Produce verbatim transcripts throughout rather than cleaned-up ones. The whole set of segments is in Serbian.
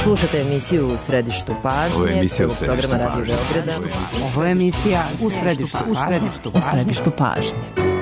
Slušate emisiju U središtu pažnje, prvog programa Radio Beograda. Ovo je emisija U središtu, u središtu, u središtu pažnje.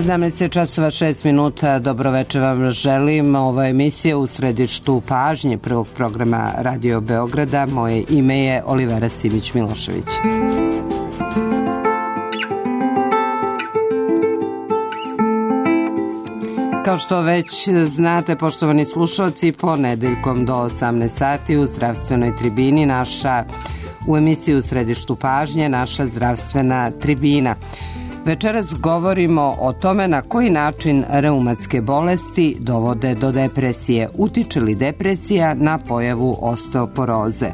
sedamnaest časova šest minuta, dobro večer vam želim. Ova emisija U središtu pažnje prvog programa Radio Beograda. Moje ime je Olivera Simić-Milošević. Kao što već znate, poštovani slušalci, ponedeljkom do osamnaest sati u zdravstvenoj tribini naša, u emisiji U središtu pažnje, naša zdravstvena tribina. Večeras govorimo o tome na koji način reumatske bolesti dovode do depresije. Utiče li depresija na pojavu osteoporoze?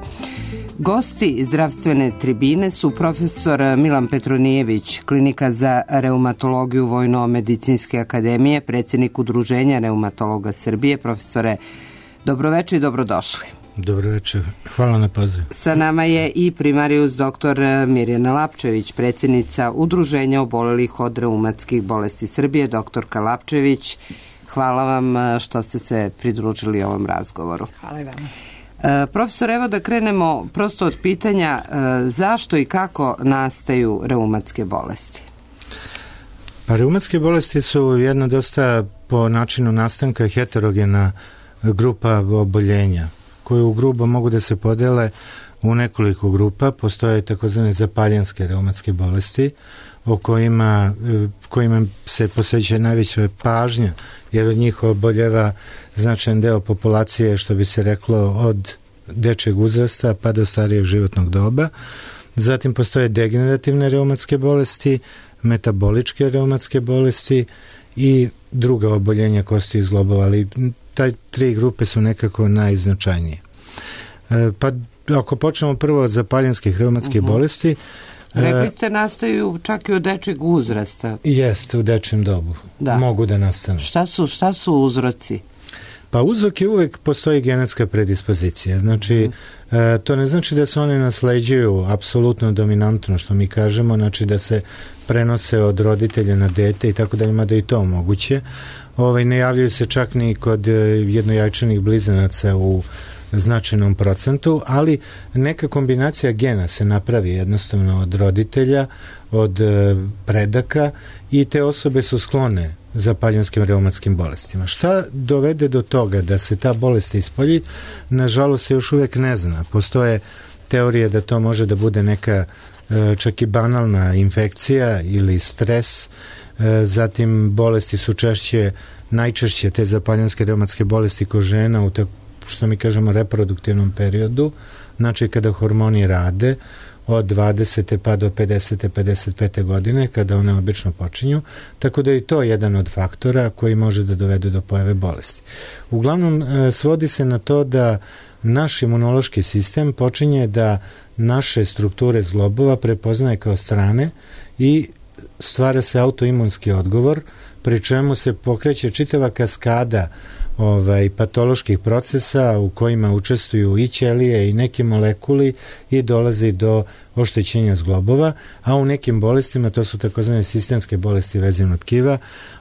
Gosti zdravstvene tribine su profesor Milan Petronijević, Klinika za reumatologiju Vojno-medicinske akademije, predsjednik Udruženja reumatologa Srbije. Profesore, dobroveče i dobrodošli. Dobro večer, hvala na pozivu. Sa nama je i primarijus doktor Mirjana Lapčević, predsjednica Udruženja obolelih od reumatskih bolesti Srbije. Doktorka Lapčević, hvala vam što ste se pridružili ovom razgovoru. Hvala i vama. E, profesor, evo da krenemo prosto od pitanja e, zašto i kako nastaju reumatske bolesti? Pa reumatske bolesti su jedna dosta po načinu nastanka heterogena grupa oboljenja, koje u grubo mogu da se podele u nekoliko grupa. Postoje takozvane zapaljenske reumatske bolesti o kojima, kojima se posvećuje najveća pažnja, jer od njih oboljeva značajan deo populacije, što bi se reklo, od dečjeg uzrasta pa do starijeg životnog doba. Zatim postoje degenerativne reumatske bolesti, metaboličke reumatske bolesti i druga oboljenja kosti i zglobova, ali taj tri grupe su nekako najznačajnije. E, pa ako počnemo prvo od zapaljenskih reumatskih uh-huh. bolesti. Rekli ste nastaju čak i od dečjeg uzrasta. Jeste, u dečjem dobu. Da. Mogu da nastanu. Šta su, šta su uzroci? Pa uzrok je uvek postoji genetska predispozicija. Znači, uh-huh. e, to ne znači da se one nasleđuju apsolutno dominantno, što mi kažemo, znači da se prenose od roditelja na dete i tako da ima da i to moguće. Ovaj, ne javljaju se čak ni kod jednojajčanih blizanaca u značajnom procentu, ali neka kombinacija gena se napravi jednostavno od roditelja, od predaka i te osobe su sklone zapaljenskim reumatskim bolestima. Šta dovede do toga da se ta bolest ispolji? Nažalost se još uvek ne zna. Postoje teorije da to može da bude neka čak i banalna infekcija ili stres. Zatim bolesti su češće, najčešće te zapaljenske reumatske bolesti kod žena u tako, što mi kažemo, reproduktivnom periodu, znači kada hormoni rade od dvadesete pa do pedesete, pedeset pete godine, kada one obično počinju, tako da je i to jedan od faktora koji može da dovede do pojave bolesti. Uglavnom, svodi se na to da naš imunološki sistem počinje da naše strukture zglobova prepoznaje kao strane i stvara se autoimunski odgovor, pri čemu se pokreće čitava kaskada ovaj, patoloških procesa u kojima učestvuju i ćelije i neki molekuli i dolazi do oštećenja zglobova, a u nekim bolestima, to su takozvane sistemske bolesti vezivnog tkiva,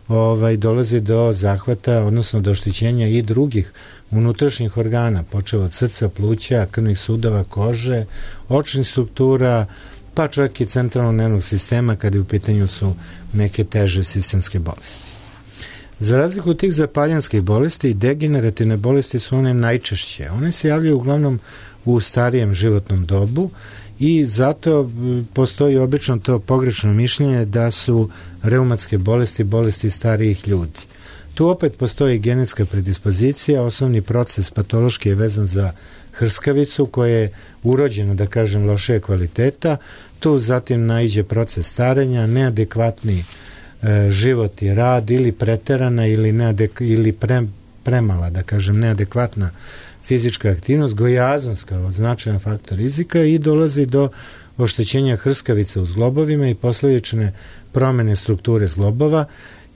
ovaj, dolazi do zahvata, odnosno do oštećenja i drugih unutrašnjih organa, počev od srca, pluća, krvnih sudova, kože, očnih struktura, pa čak i centralnog nervnog sistema kada u pitanju su neke teže sistemske bolesti. Za razliku od tih zapaljanskih bolesti, degenerativne bolesti su one najčešće. One se javljaju uglavnom u starijem životnom dobu i zato postoji obično to pogrešno mišljenje da su reumatske bolesti bolesti starijih ljudi. Tu opet postoji genetska predispozicija, osnovni proces patološki je vezan za hrskavicu koja je urođena, da kažem, lošije kvaliteta, tu zatim naiđe proces starenja, neadekvatni e, život i rad ili preterana ili, neadek, ili pre, premala, da kažem, neadekvatna fizička aktivnost, gojaznost kao značajan faktor rizika i dolazi do oštećenja hrskavice u zglobovima i posljedične promene strukture zglobova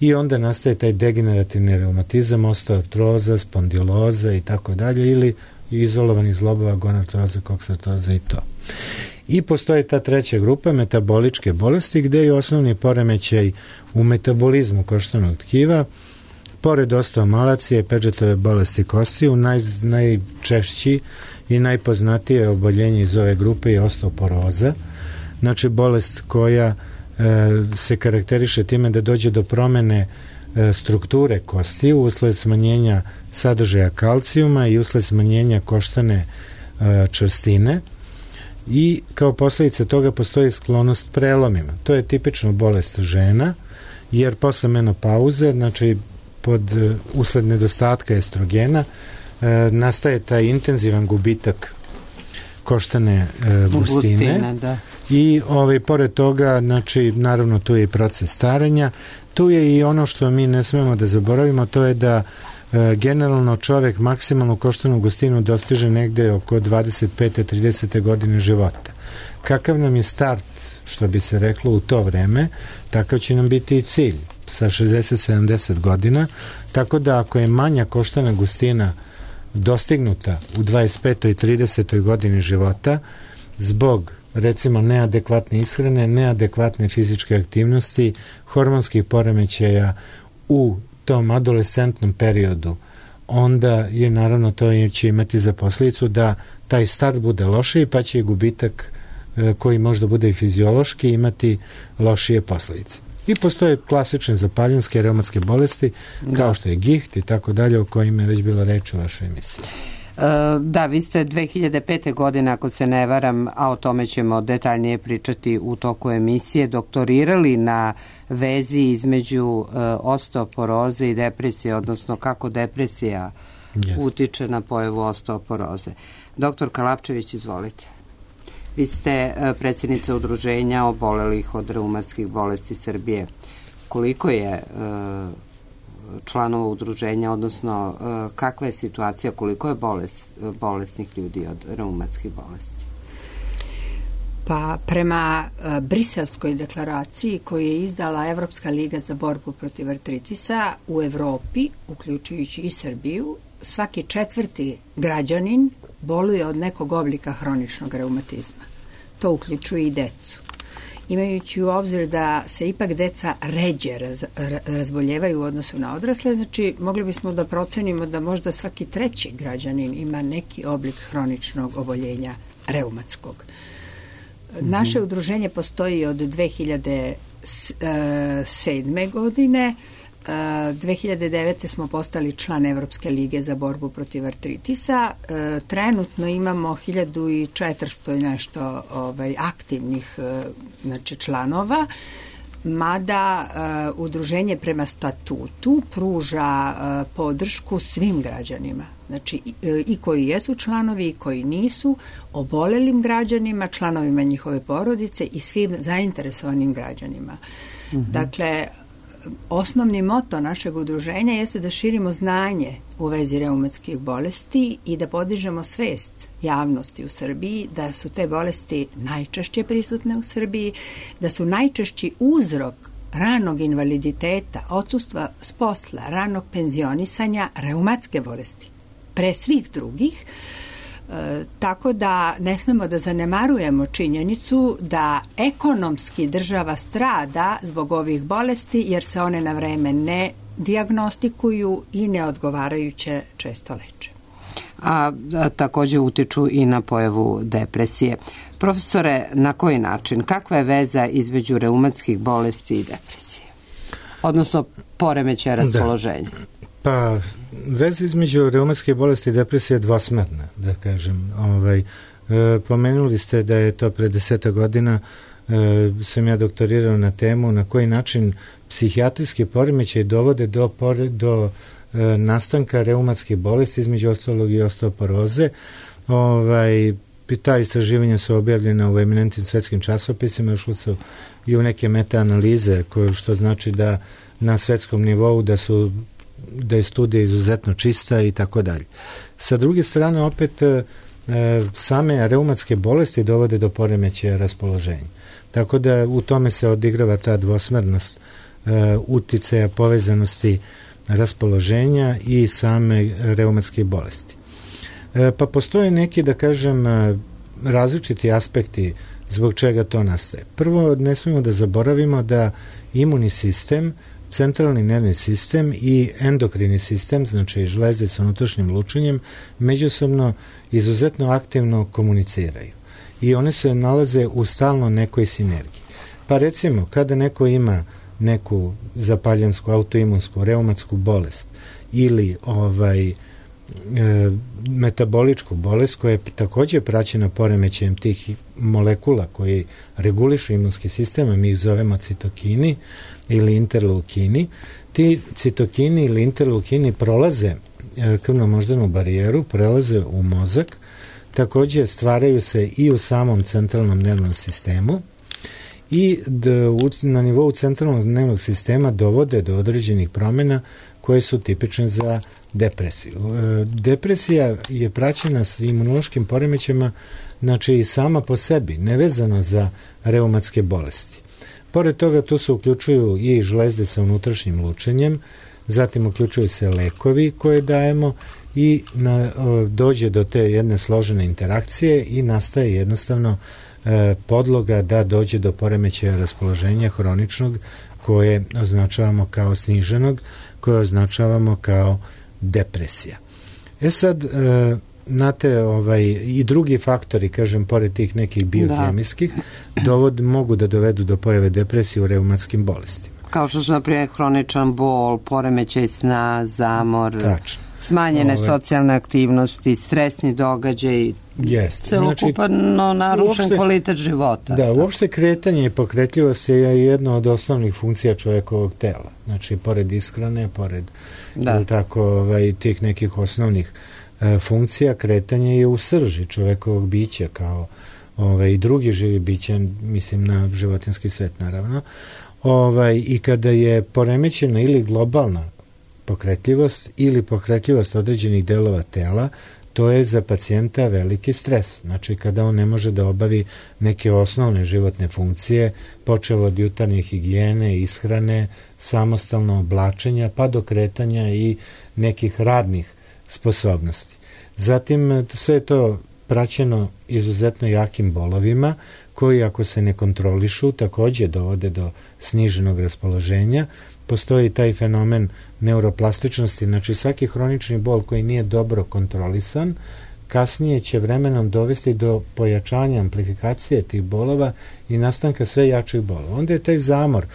i onda nastaje taj degenerativni reumatizam, osteoartroza, spondiloza i tako dalje ili izolovanih zglobova, gonartroza, koksartroza i to. I postoji ta treća grupa, metaboličke bolesti, gde je osnovni poremećaj u metabolizmu koštanog tkiva, pored osteomalacije, Pagetove bolesti kostiju, naj, najčešći i najpoznatije oboljenje iz ove grupe je osteoporoza, znači bolest koja e, se karakteriše time da dođe do promene e, strukture kostiju usled smanjenja sadržaja kalcijuma i usled smanjenja koštane e, čvrstine i kao posljedica toga postoji sklonost prelomima. To je tipično bolest žena, jer posle menopauze, znači pod usled nedostatka estrogena, e, nastaje taj intenzivan gubitak koštane e, gustine, gustine da. I ovaj, pored toga, znači, naravno tu je i proces starenja, tu je i ono što mi ne smemo da zaboravimo, to je da e, generalno čovek maksimalnu koštanu gustinu dostiže negde oko dvadeset pete do tridesete godine života. Kakav nam je start, što bi se reklo, u to vreme, takav će nam biti i cilj sa šezdeset do sedamdeset godina, tako da ako je manja koštana gustina dostignuta u dvadeset petoj i tridesetoj godini života zbog recimo neadekvatne ishrane, neadekvatne fizičke aktivnosti, hormonskih poremećaja u tom adolescentnom periodu, onda je naravno to će imati za posljedicu da taj start bude lošiji, pa će i gubitak koji možda bude i fiziološki imati lošije posljedice. I postoje klasične zapaljenske reumatske bolesti, da. Kao što je giht i tako dalje, o kojima je već bilo reč u vašoj emisiji. Da, vi ste dve hiljade pete. godine, ako se ne varam, a o tome ćemo detaljnije pričati u toku emisije, doktorirali na vezi između uh, osteoporoze i depresije, odnosno kako depresija yes. utiče na pojavu osteoporoze. Doktor Kalapčević, izvolite. Vi ste uh, predsjednica udruženja obolelih od reumatskih bolesti Srbije. Koliko je uh, članova udruženja, odnosno kakva je situacija, koliko je bolest, bolesnih ljudi od reumatskih bolesti? Pa prema Briselskoj deklaraciji koju je izdala Evropska liga za borbu protiv artritisa, u Evropi, uključujući i Srbiju, svaki četvrti građanin boluje od nekog oblika hroničnog reumatizma. To uključuje i decu. Imajući u obzir da se ipak deca ređe raz, razboljevaju u odnosu na odrasle, znači mogli bismo da procenimo da možda svaki treći građanin ima neki oblik hroničnog oboljenja reumatskog. Mm-hmm. Naše udruženje postoji od dve hiljade sedme. godine. dve hiljade devete. smo postali član Evropske lige za borbu protiv artritisa. Trenutno imamo hiljadu četiristo i nešto ovaj, aktivnih znači, članova, mada uh, udruženje prema statutu pruža uh, podršku svim građanima. Znači i, i koji jesu članovi i koji nisu, obolelim građanima, članovima njihove porodice i svim zainteresovanim građanima. Mm-hmm. Dakle, osnovni moto našeg udruženja jeste da širimo znanje u vezi reumatskih bolesti i da podižemo svest javnosti u Srbiji da su te bolesti najčešće prisutne u Srbiji, da su najčešći uzrok ranog invaliditeta, odsustva s posla, ranog penzionisanja, reumatske bolesti pre svih drugih. E, tako da ne smemo da zanemarujemo činjenicu da ekonomski država strada zbog ovih bolesti jer se one na vreme ne dijagnostikuju i neodgovarajuće često leče. A, a takođe utiču i na pojavu depresije. Profesore, na koji način? Kakva je veza između reumatskih bolesti i depresije? Odnosno poremećaja raspoloženja? Da. Pa, veza između reumatske bolesti i depresije je dvosmerna, da kažem. Ovaj, e, pomenuli ste da je to pre deseta godina e, sam ja doktorirao na temu na koji način psihijatrijski poremećaj dovode do, pore, do e, nastanka reumatskih bolesti, između ostalog i osteoporoze. Ovaj, ta istraživanja su objavljena u eminentnim svetskim časopisima, ušlo su i u neke meta-analize, koje, što znači da na svetskom nivou da su da je studija izuzetno čista i tako dalje. Sa druge strane, opet, e, same reumatske bolesti dovode do poremećaja raspoloženja. Tako da u tome se odigrava ta dvosmernost e, uticaja, povezanosti raspoloženja i same reumatske bolesti. E, pa postoje neki, da kažem, različiti aspekti zbog čega to nastaje. Prvo, ne smemo da zaboravimo da imunni sistem, centralni nervni sistem i endokrini sistem, znači žlezde sa unutrašnjim lučenjem, međusobno izuzetno aktivno komuniciraju. I one se nalaze u stalno nekoj sinergiji. Pa recimo, kada neko ima neku zapaljansku, autoimunsku, reumatsku bolest ili ovaj e, metaboličku bolest koja je takođe praćena poremećajem tih molekula koji regulišu imunski sistem, a mi ih zovemo citokini ili interleukini. Ti citokini ili interleukini prolaze krvno-moždanu barijeru, prelaze u mozak, takođe stvaraju se i u samom centralnom nervnom sistemu i na nivou centralnog nervnog sistema dovode do određenih promjena koje su tipične za depresiju. Depresija je praćena s imunološkim poremećajima, znači i sama po sebi, nevezano za reumatske bolesti. Pored toga, tu se uključuju i žlezde sa unutrašnjim lučenjem, zatim uključuju se lekovi koje dajemo i na, o, dođe do te jedne složene interakcije i nastaje jednostavno e, podloga da dođe do poremećaja raspoloženja hroničnog koje označavamo kao sniženog, koje označavamo kao depresija. E sad, e, znate, ovaj, i drugi faktori, kažem, pored tih nekih biokemijskih, da. dovod, mogu da dovedu do pojave depresije u reumatskim bolestima. Kao što su, naprimjer, hroničan bol, poremećaj sna, zamor, Tačno. smanjene Ove, socijalne aktivnosti, stresni događaj, jest. celokupano znači, narušen uopšte, kvalitet života. Da, uopšte kretanje i pokretljivost je jedna od osnovnih funkcija čovjekovog tela. Znači, pored ishrane, pored da. tako, ovaj, tih nekih osnovnih e, funkcija, kretanje je u srži čovjekovog bića kao ovaj, i drugi živi bića, mislim na životinski svet naravno. Ovaj, i kada je poremećena ili globalna pokretljivost ili pokretljivost određenih delova tela, to je za pacijenta veliki stres. Znači, kada on ne može da obavi neke osnovne životne funkcije, počev od jutarnje higijene, ishrane, samostalno oblačenja, pa do kretanja i nekih radnih sposobnosti. Zatim, sve je to praćeno izuzetno jakim bolovima, koji ako se ne kontrolišu takođe dovode do sniženog raspoloženja. Postoji taj fenomen neuroplastičnosti, znači svaki hronični bol koji nije dobro kontrolisan, kasnije će vremenom dovesti do pojačanja amplifikacije tih bolova i nastanka sve jačih bolova. Onda je taj zamor,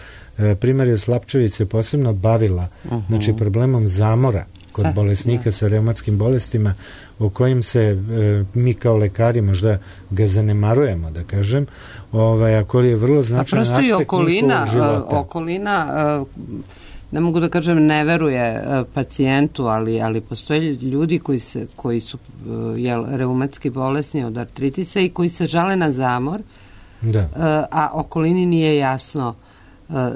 primarija Slapčević se posebno bavila uh-huh. znači problemom zamora kod Sad, bolesnika da. sa reumatskim bolestima, o kojim se e, mi kao lekari možda ga zanemarujemo, da kažem, ovaj, ako je vrlo značajan aspekt njihovog okolina, života. Okolina, ne mogu da kažem ne veruje pacijentu, ali, ali postoje ljudi koji, se, koji su jel, reumatski bolesni od artritisa i koji se žale na zamor, da. a okolini nije jasno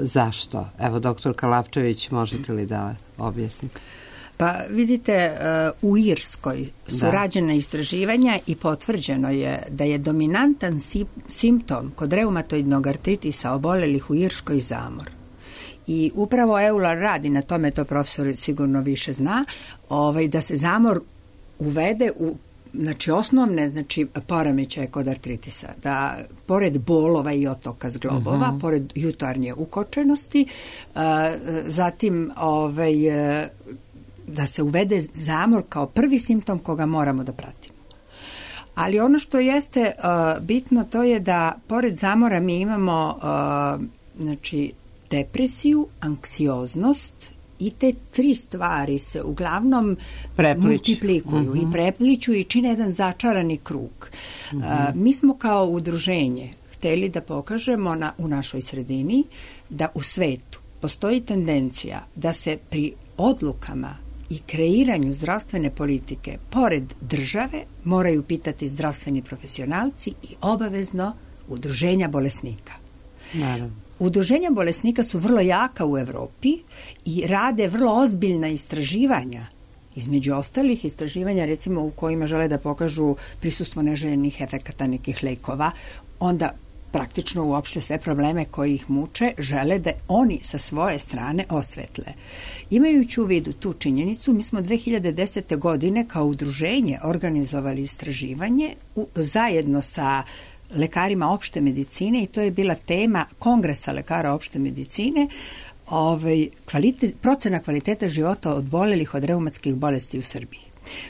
Zašto? Evo, doktor Kalapčević, možete li da objasnite? Pa vidite, u Irskoj su da. rađena istraživanja i potvrđeno je da je dominantan simptom kod reumatoidnog artritisa obolelih u Irskoj zamor. I upravo Euler radi na tome, to profesor sigurno više zna, ovaj, da se zamor uvede u znači osnovne znači poremećaje kod artritisa, da pored bolova i otoka zglobova, uh-huh. pored jutarnje ukočenosti, uh, zatim ovaj, da se uvede zamor kao prvi simptom koga moramo da pratimo. Ali ono što jeste uh, bitno, to je da pored zamora mi imamo uh, znači depresiju, anksioznost i te tri stvari se uglavnom Preplič. multiplikuju uh-huh. i prepliču i čine jedan začarani krug. Uh-huh. Uh, mi smo kao udruženje hteli da pokažemo na, u našoj sredini da u svetu postoji tendencija da se pri odlukama i kreiranju zdravstvene politike pored države moraju pitati zdravstveni profesionalci i obavezno udruženja bolesnika. Naravno. Udruženja bolesnika su vrlo jaka u Evropi i rade vrlo ozbiljna istraživanja. Između ostalih istraživanja, recimo u kojima žele da pokažu prisustvo neželjenih efekata nekih lekova, onda praktično uopšte sve probleme koji ih muče žele da oni sa svoje strane osvetle. Imajući u vidu tu činjenicu, mi smo dve hiljade desete. godine kao udruženje organizovali istraživanje u, zajedno sa lekarima opšte medicine i to je bila tema Kongresa lekara opšte medicine, ovaj, kvalitet, procena kvaliteta života obolelih od reumatskih bolesti u Srbiji.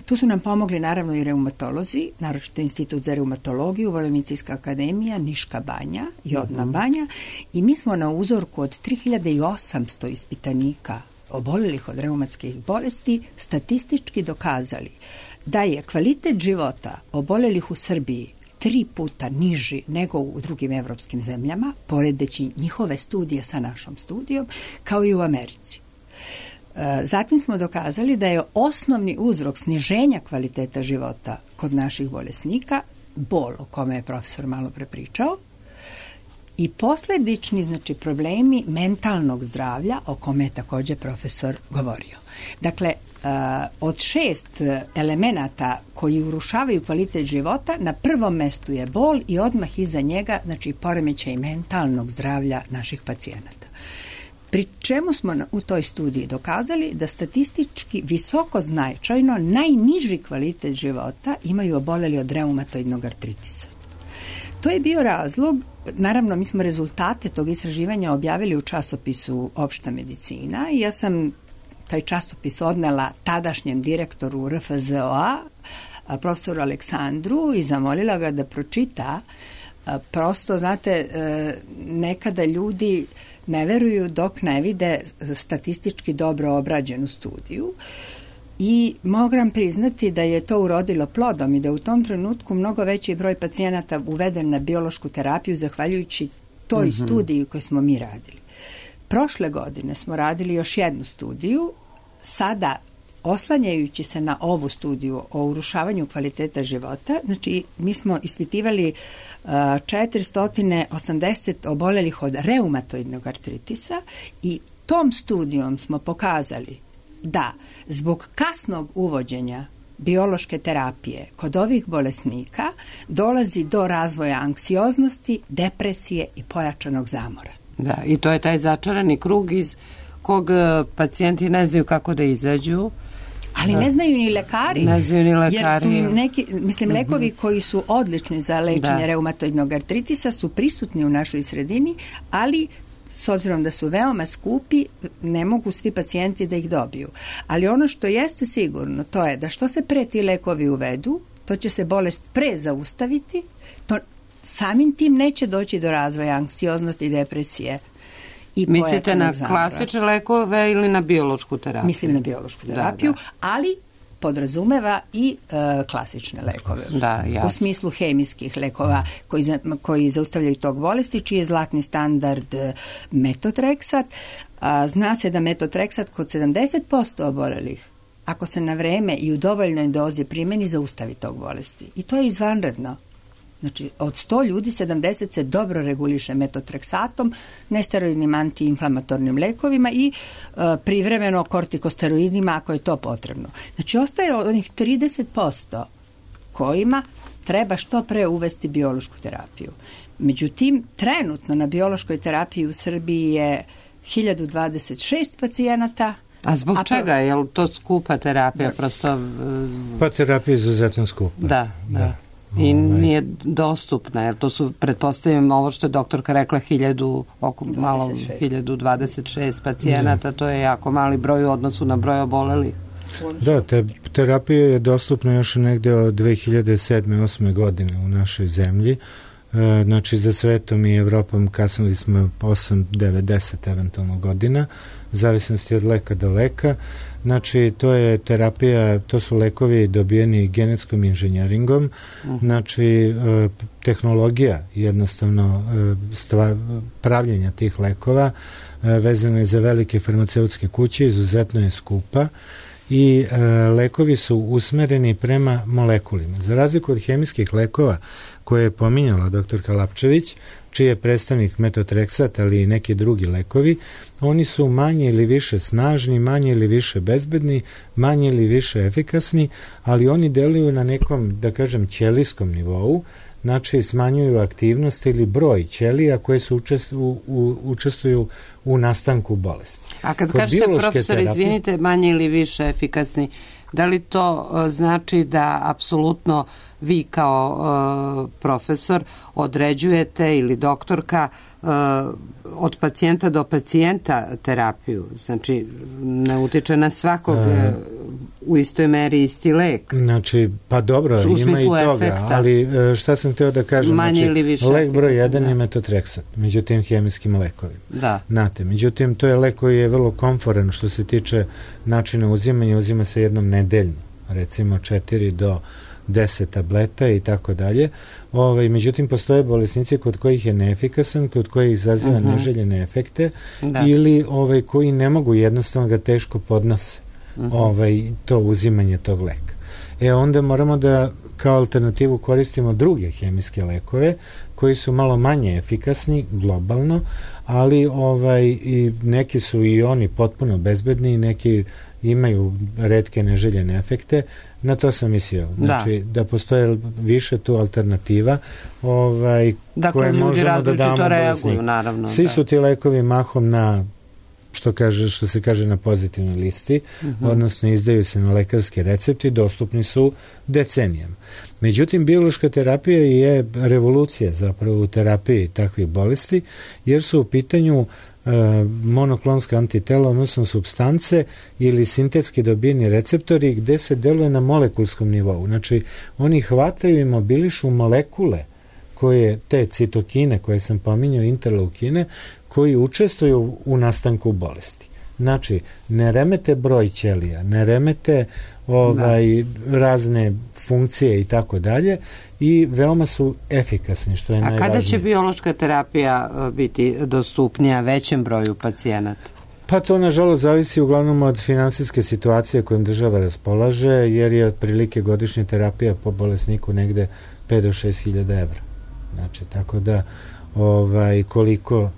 Tu su nam pomogli naravno i reumatolozi, naročito Institut za reumatologiju, Vojno-medicinska akademija, Niška banja, Jodna banja i mi smo na uzorku od tri hiljade osamsto ispitanika obolelih od reumatskih bolesti statistički dokazali da je kvalitet života obolelih u Srbiji tri puta niži nego u drugim evropskim zemljama, poredeći njihove studije sa našom studijom, kao i u Americi. Zatim smo dokazali da je osnovni uzrok sniženja kvaliteta života kod naših bolesnika bol, o kome je profesor malo prepričao, i posledični znači problemi mentalnog zdravlja, o kome je također profesor govorio. Dakle, od šest elemenata koji urušavaju kvalitet života, na prvom mestu je bol i odmah iza njega, znači, poremećaj mentalnog zdravlja naših pacijenata. Pri čemu smo u toj studiji dokazali da statistički visoko značajno najniži kvalitet života imaju oboleli od reumatoidnog artritisa. To je bio razlog, naravno mi smo rezultate tog istraživanja objavili u časopisu Opšta medicina i ja sam taj časopis odnela tadašnjem direktoru R F Z O A, profesoru Aleksandru, i zamolila ga da pročita. Prosto, znate, nekada ljudi ne veruju dok ne vide statistički dobro obrađenu studiju i moram priznati da je to urodilo plodom i da u tom trenutku mnogo veći broj pacijenata uveden na biološku terapiju zahvaljujući toj mm-hmm. studiji koju smo mi radili. Prošle godine smo radili još jednu studiju, sada oslanjajući se na ovu studiju o urušavanju kvaliteta života, znači mi smo ispitivali uh, četiristo osamdeset obolelih od reumatoidnog artritisa i tom studijom smo pokazali da zbog kasnog uvođenja biološke terapije kod ovih bolesnika dolazi do razvoja anksioznosti, depresije i pojačanog zamora. Da, i to je taj začarani krug iz kog pacijenti ne znaju kako da izađu. Ali ne znaju ni lekari. Ne znaju ni lekari. Jer su im neki, mislim, lekovi koji su odlični za lečenje da. reumatoidnog artritisa su prisutni u našoj sredini, ali s obzirom da su veoma skupi, ne mogu svi pacijenti da ih dobiju. Ali ono što jeste sigurno, to je da što se pre ti lekovi uvedu, to će se bolest pre zaustaviti, to samim tim neće doći do razvoja anksioznosti i depresije. I mislite na zamora. Klasične lekove ili na biološku terapiju? Mislim na biološku terapiju, da, da. ali podrazumeva i e, klasične lekove. Da, jasno. U smislu hemijskih lekova koji, za, koji zaustavljaju tog bolesti, čiji je zlatni standard metotreksat. A, zna se da metotreksat kod sedamdeset posto obolelih, ako se na vreme i u dovoljnoj dozi primeni, zaustavi tog bolesti. I to je izvanredno. Znači, od sto ljudi sedamdeset se dobro reguliše metotreksatom, nesteroidnim antiinflamatornim lekovima i e, privremeno kortikosteroidima ako je to potrebno. Znači, ostaje onih trideset posto kojima treba što pre uvesti biološku terapiju. Međutim, trenutno na biološkoj terapiji u Srbiji je hiljadu dvadeset šest pacijenata. A zbog a čega? Je li to skupa terapija? Da. Prosto... Pa terapija je izuzetno skupa. Da, da. da. I nije dostupna, jer to su, pretpostavljam, ovo što je doktorka rekla, hiljadu, oko malo, hiljadu dvadeset šest pacijenata, da. To je jako mali broj u odnosu na broj obolelih. Da, te, terapija je dostupna još negde od dve hiljade sedme osme godine u našoj zemlji. E, znači, za svetom i Evropom kasnili smo osam, devet, deset eventualno godina, zavisnosti od leka do leka. Znači, to je terapija, to su lekovi dobijeni genetskom inženjeringom, uh-huh. znači, e, tehnologija jednostavno e, stva, pravljenja tih lekova e, vezana je za velike farmaceutske kuće, izuzetno je skupa i e, lekovi su usmereni prema molekulima. Za razliku od hemijskih lekova koje je pominjala doktorka Lapčević, čiji je predstavnik metotreksat, ali i neki drugi lekovi, oni su manje ili više snažni, manje ili više bezbedni, manje ili više efikasni, ali oni deluju na nekom, da kažem, ćelijskom nivou, znači smanjuju aktivnost ili broj ćelija koje su učest, u, u, učestvuju u nastanku bolesti. A kad Kod kažete, profesor, terapije, izvinite, manje ili više efikasni, da li to uh, znači da apsolutno vi kao uh, profesor određujete ili doktorka uh, od pacijenta do pacijenta terapiju? Znači, ne utiče na svakog uh, u istoj meri isti lek? Znači, pa dobro, ima i toga, efekta. Ali šta sam hteo da kažem, manje znači, ili više lek broj jedan je metotreksat, međutim hemijskim lekovima. Da. Znate, međutim, to je lek koji je vrlo komforan što se tiče načina uzimanja, uzima se jednom nedeljno, recimo četiri do deset tableta i tako dalje. Ovaj, međutim, postoje bolesnici kod kojih je neefikasan, kod kojih izaziva uh-huh. neželjene efekte da. Ili ovaj, koji ne mogu, jednostavno ga teško podnose uh-huh. ovaj, to uzimanje tog leka. E onda moramo da kao alternativu koristimo druge hemijske lekove koji su malo manje efikasni globalno, ali ovaj, i neki su i oni potpuno bezbedni, neki imaju retke neželjene efekte. Na to sam mislio. Znači, da, da postoje više tu alternativa ovaj, dakle, koje možemo da damo bolesniku. Naravno, Svi da. su ti lekovi mahom na što, kaže, što se kaže na pozitivnoj listi, uh-huh. odnosno izdaju se na lekarski recepti, dostupni su decenijama. Međutim, biološka terapija je revolucija zapravo u terapiji takvih bolesti, jer su u pitanju monoklonska antitela, odnosno supstance ili sintetski dobijeni receptori gde se deluje na molekulskom nivou. Znači, oni hvataju i mobilišu molekule koje, te citokine koje sam pominjao, interleukine, koji učestvuju u nastanku bolesti. Znači, ne remete broj ćelija, ne remete ovaj, da. razne funkcije i tako dalje i veoma su efikasni, što je A najvažnije. A kada će biološka terapija biti dostupnija većem broju pacijenata? Pa to, nažalost, zavisi uglavnom od finansijske situacije kojom država raspolaže, jer je otprilike godišnja terapija po bolesniku negde pet do šest hiljada evra. Znači, tako da ovaj, koliko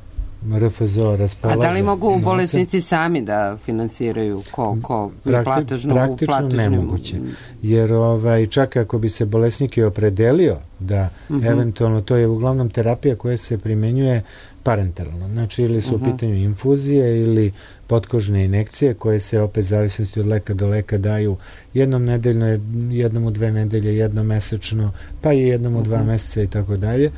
R F Z O raspolaže. A da li mogu novce, bolesnici sami da finansiraju ko, ko Prakti, platežnu, praktično platežnu... nemoguće. Jer ovaj, čak ako bi se bolesnik i opredelio da uh-huh. eventualno, to je uglavnom terapija koja se primenjuje parenteralno. Znači, ili su uh-huh. u pitanju infuzije ili potkožne injekcije koje se opet zavisnosti od leka do leka daju jednom nedeljno, jednom u dve nedelje, jednom mesečno, pa i jednom u dva uh-huh. meseca i tako dalje.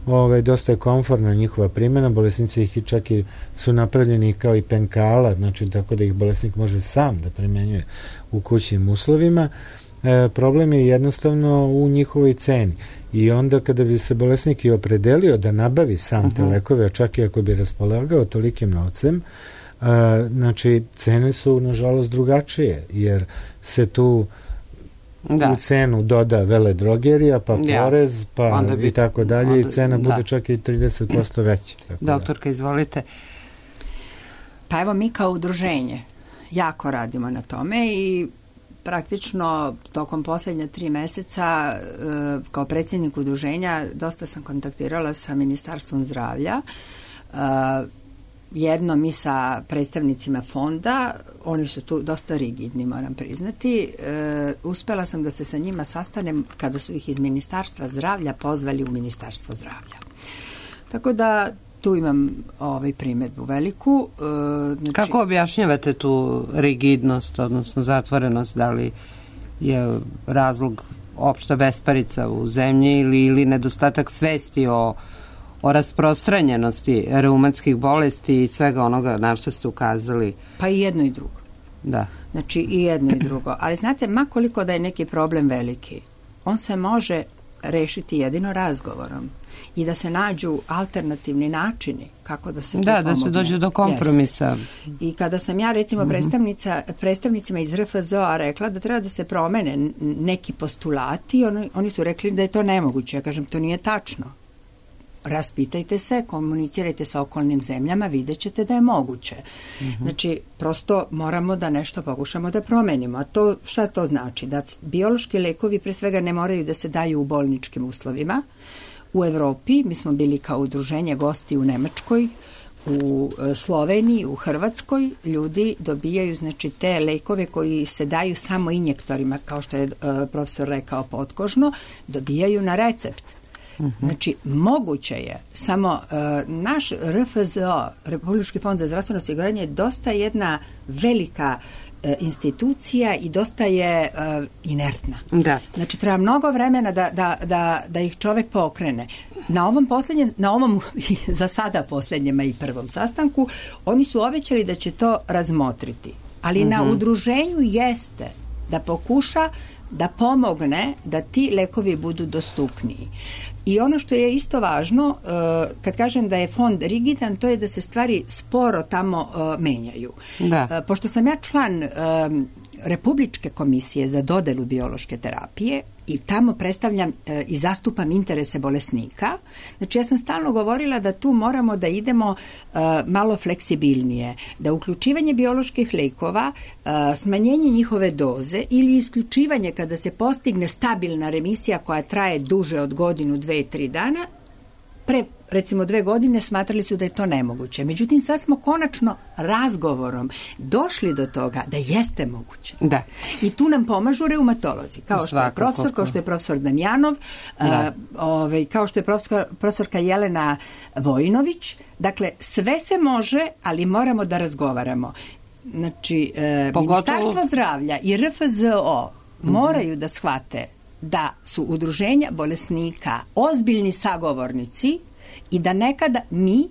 Ove, dosta je komfortna njihova primjena, bolesnici ih čak i su napravljeni kao i penkala, znači tako da ih bolesnik može sam da primenjuje u kućnim uslovima. E, problem je jednostavno u njihovoj ceni i onda kada bi se bolesnik i opredelio da nabavi sam uh-huh. te lekove, čak i ako bi raspolagao tolikim novcem, a, znači cene su nažalost drugačije, jer se tu da. u cenu doda veledrogerija, pa porez, pa bi, i tako dalje, onda, i cena da. bude čak i trideset posto veća. Doktorka, da. izvolite. Pa evo, mi kao udruženje jako radimo na tome i praktično tokom posljednja tri meseca kao predsjednik udruženja dosta sam kontaktirala sa Ministarstvom zdravlja, jednom i sa predstavnicima fonda, oni su tu dosta rigidni, moram priznati. Uspela sam da se sa njima sastanem kada su ih iz Ministarstva zdravlja pozvali u Ministarstvo zdravlja. Tako da tu imam ovaj primjedbu veliku. Znači, kako objašnjavate tu rigidnost, odnosno zatvorenost? Da li je razlog opšta besparica u zemlji ili, ili nedostatak svesti o, o rasprostranjenosti reumatskih bolesti i svega onoga na što ste ukazali? Pa i jedno i drugo. Da. Znači i jedno i drugo. Ali znate, ma koliko da je neki problem veliki, on se može rešiti jedino razgovorom i da se nađu alternativni načini kako da se da, pomogne. Da se dođe do kompromisa. Yes. I kada sam ja recimo mm-hmm. predstavnica, predstavnicima iz R F Z O-a rekla da treba da se promene neki postulati, oni, oni su rekli da je to nemoguće. Ja kažem, to nije tačno. Raspitajte se, komunicirajte sa okolnim zemljama, vidjet ćete da je moguće. Mm-hmm. Znači, prosto moramo da nešto pokušamo da promenimo. A to, šta to znači? Da biološki lekovi pre svega ne moraju da se daju u bolničkim uslovima. U Evropi, mi smo bili kao udruženje gosti u Nemačkoj, u Sloveniji, u Hrvatskoj, ljudi dobijaju znači te lekove koji se daju samo injektorima, kao što je uh, profesor rekao potkožno, dobijaju na recept. Uh-huh. Znači, moguće je, samo uh, naš R F Z O, Republički fond za zdravstveno osiguranje, je dosta jedna velika uh, institucija i dosta je uh, inertna. Da. Znači, treba mnogo vremena da, da, da, da ih čovek pokrene. Na ovom posljednjem, na ovom za sada posljednjem i prvom sastanku, oni su obećali da će to razmotriti. Ali uh-huh. na udruženju jeste da pokuša da pomogne da ti lekovi budu dostupniji. I ono što je isto važno, kad kažem da je fond rigidan, to je da se stvari sporo tamo menjaju. Da. Pošto sam ja član Republičke komisije za dodelu biološke terapije i tamo predstavljam e, i zastupam interese bolesnika. Znači ja sam stalno govorila da tu moramo da idemo e, malo fleksibilnije, da uključivanje bioloških lekova, e, smanjenje njihove doze ili isključivanje kada se postigne stabilna remisija koja traje duže od godinu, dve, tri dana, pre recimo dve godine smatrali su da je to nemoguće. Međutim, sad smo konačno razgovorom došli do toga da jeste moguće. Da. I tu nam pomažu reumatolozi, kao što je profesor, kao što je profesor Damjanov, a, ovaj, kao što je profesor, profesorka Jelena Vojinović. Dakle, sve se može, ali moramo da razgovaramo. Znači, e, Ministarstvo zdravlja i R F Z O mm-hmm. moraju da shvate da su udruženja bolesnika ozbiljni sagovornici i da nekada mi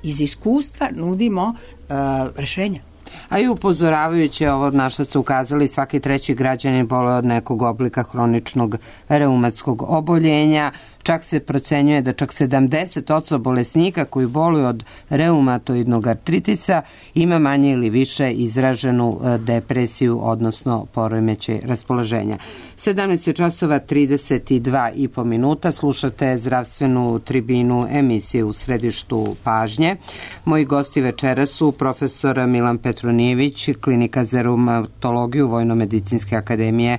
iz iskustva nudimo uh, rešenja. A i upozoravajući ovo na što ste ukazali, svaki treći građanin boluje od nekog oblika hroničnog reumatskog oboljenja. Čak se procenjuje da čak sedamdeset posto bolesnika koji boluju od reumatoidnog artritisa ima manje ili više izraženu depresiju, odnosno poremećaj raspoloženja. sedamnaest časova trideset dva i po minuta, slušate zdravstvenu tribinu emisije U središtu pažnje. Moji gosti večera su profesor Milan Petronijević, klinika za reumatologiju Vojno-medicinske akademije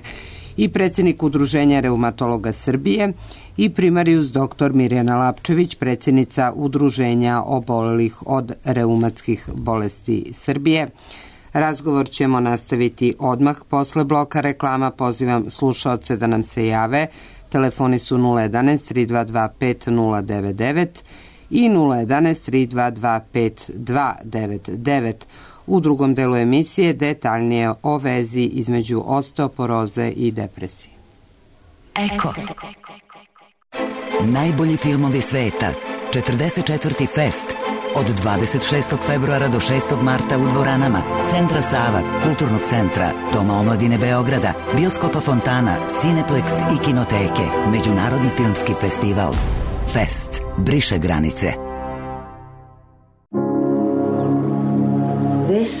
i predsjednik Udruženja reumatologa Srbije, i primarius doktor Mirjana Lapčević, predsjednica Udruženja obolelih od reumatskih bolesti Srbije. Razgovor ćemo nastaviti odmah posle bloka reklama. Pozivam slušaoce da nam se jave. Telefoni su nula jedanaest tri dva dva pet nula devet devet i nula jedanaest tri dva dva pet dva devet devet. U drugom delu emisije detaljnije o vezi između osteoporoze i depresije. Eko. Najbolji filmovi sveta. četrdeset četvrti Fest. Od dvadeset šestog februara do šestog marta u dvoranama Centra Sava, Kulturnog centra, Doma omladine Beograda, Bioskopa Fontana, Cineplex i Kinoteke. Međunarodni filmski festival. Fest. Briše granice. This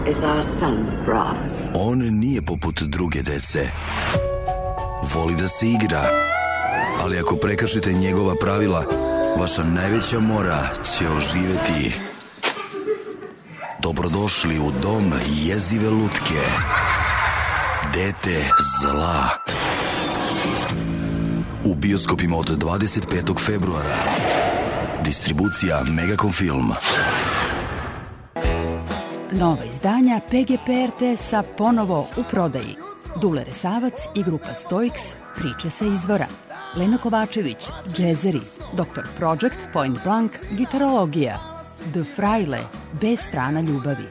is our son, Brahms. On nije poput druge dece. Voli da se igra, ali ako prekršite njegova pravila, vaša najveća mora će oživeti. Dobrodošli u dom jezive lutke. Dete zla. U bioskopima od dvadeset petog februara. Distribucija Megacom Film. Nova izdanja P G P R T S-a ponovo u prodaji. Dule Resavac i grupa Stoiks, priče sa izvora. Lena Kovačević, džezeri. doktor Project, Point Blank, gitarologija. The Fraile, B strana ljubavi.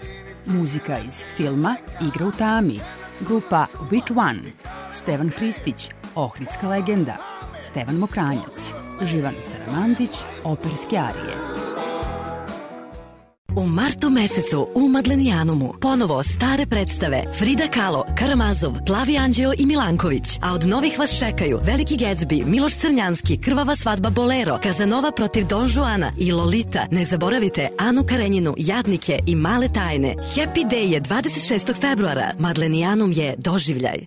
Muzika iz filma Igra u tami. Grupa Which One. Stevan Hristić, Ohridska legenda. Stevan Mokranjac. Živan Saramandić, operske arije. U martu mesecu u Madlenijanumu ponovo stare predstave Frida Kahlo, Karamazov, Plavi Anđeo i Milanković, a od novih vas čekaju Veliki Gatsby, Miloš Crnjanski, Krvava svadba Bolero, Kazanova protiv Don Juana i Lolita. Ne zaboravite Anu Karenjinu, Jadnike i Male tajne. Happy Day je dvadeset šestog februara. Madlenijanum je doživljaj.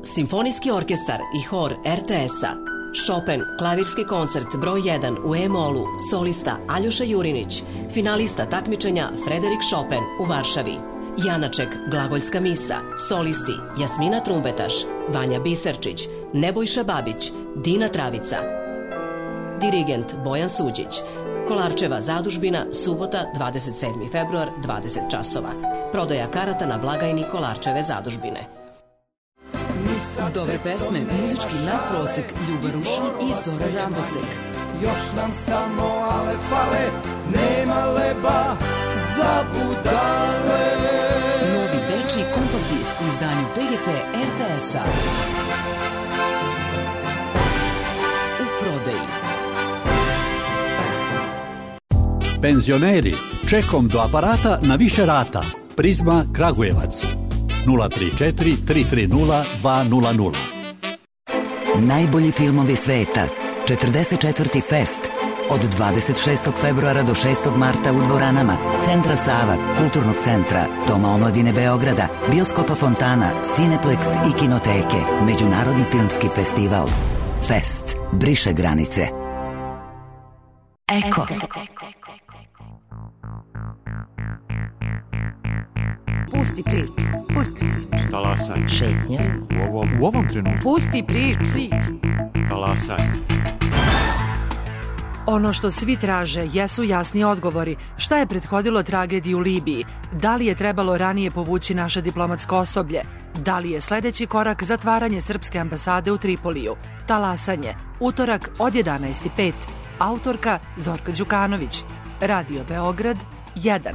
Simfonijski orkestar i hor R T S-a. Chopin, klavirski koncert broj jedan u E-molu, solista Aljoša Jurinić, finalista takmičenja Frederik Chopin u Varšavi. Janaček, glagoljska misa, solisti Jasmina Trumbetaš, Vanja Biserčić, Nebojša Babić, Dina Travica. Dirigent Bojan Suđić. Kolarčeva zadužbina, subota, dvadeset sedmi februar, dvadeset časova. Prodaja karata na blagajni Kolarčeve zadužbine. Dobre pesme, muzički nadprosek, Ljuba Rušin i Zora Rambosek. Još nam samo ale fale, nema leba za budale. Novi dečiji kompakt disk u izdanju P G P R T S-a. U prodaji. Penzioneri, čekom do aparata na više rata. Prizma Kragujevac. nula tri četiri tri tri nula dva nula nula. Najbolji filmovi sveta. četrdeset četvrti Fest. Od dvadeset šestog februara do šestog marta u dvoranama Centra Sava, Kulturnog centra, Doma omladine Beograda, Bioskopa Fontana, Cineplex i Kinoteke. Međunarodni filmski festival. Fest. Briše granice. Eko. Pusti priču, pusti priču. Talasanje. Šetnja. U ovom, u ovom trenutku. Pusti priču. Talasanje. Ono što svi traže jesu jasni odgovori. Šta je prethodilo tragediji u Libiji? Da li je trebalo ranije povući naše diplomatsko osoblje? Da li je sledeći korak zatvaranje srpske ambasade u Tripoliju? Talasanje. Utorak od jedanaest i pet. Autorka Zorka Đukanović. Radio Beograd jedan.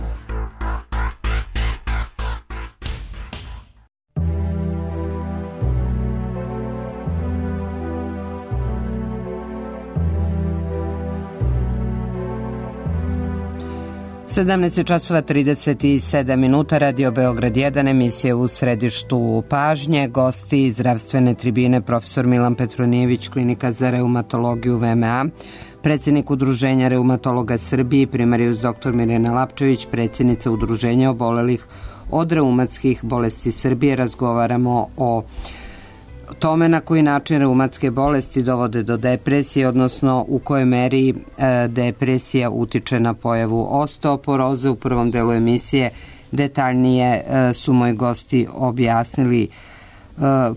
sedamnaest časova trideset sedam minuta, Radio Beograd jedan, emisija u središtu pažnje. Gosti zdravstvene tribine profesor Milan Petronijević, Klinika za reumatologiju V M A, predsjednik Udruženja reumatologa Srbije, primarijus doktor Mirjana Lapčević, predsjednica Udruženja obolelih od reumatskih bolesti Srbije. Razgovaramo o tome na koji način reumatske bolesti dovode do depresije, odnosno u kojoj meri e, depresija utiče na pojavu osteoporoze. U prvom delu emisije detaljnije e, su moji gosti objasnili e,